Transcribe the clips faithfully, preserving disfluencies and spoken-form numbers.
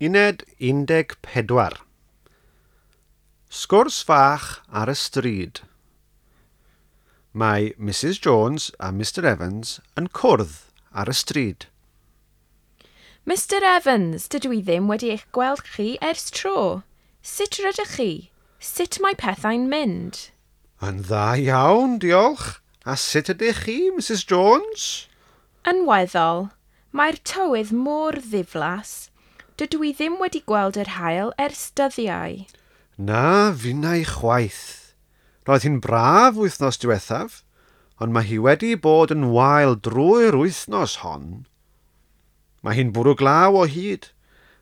Uned un deg pedwar. Sgwrs fach ar y stryd. Mae Missus Jones a Mister Evans yn cwrdd ar y stryd. Mister Evans, dydw i ddim wedi eich gweld chi ers tro. Sut rydych chi? Sut mae pethau'n mynd? Yn dda iawn, diolch. A sut ydych chi, Missus Jones? Yn weddol. Mae'r tywydd mor ddiflas. Dydw i ddim wedi gweld yr haul ers dyddiau. Na, finnau chwaith. Roedd hi'n braf wythnos diwethaf, ond mae hi wedi bod yn wael drwy'r wythnos hon. Mae hi'n bwrw glaw o hyd,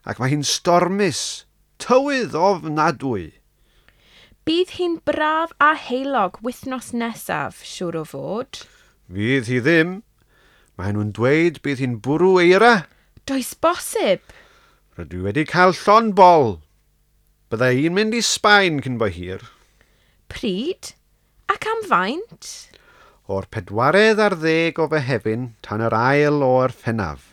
ac mae hi'n stormus, tywydd ofnadwy. Bydd hi'n braf a heulog wythnos nesaf, siŵr o fod. Fydd hi ddim. Mae nhw'n dweud bydd hi'n bwrw eira. Does bosib. Rydw i wedi cael llond bol. Bydda i'n mynd i Sbaen cyn bo hir. Pryd? Ac am faint? O'r pedwaredd ar ddeg o Fehefin tan yr ail o Orffennaf.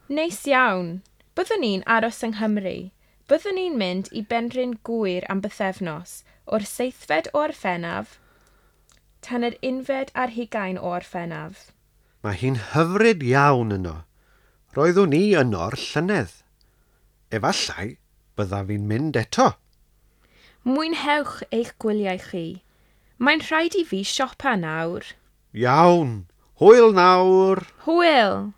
Neis iawn. Byddwn ni'n aros yng Nghymru. Byddwn ni'n mynd i Benrhyn Gŵyr am bythefnos, o'r seithfed o Orffennaf tan yr unfed ar hugain o Orffennaf. Mae hi'n hyfryd iawn yno. Roeddwn i yno'r llynedd. Efallai byddaf fi'n mynd eto. Mwynhewch eich gwyliau chi. Mae'n rhaid i fi siopa nawr. Iawn. Hwyl nawr. Hwyl.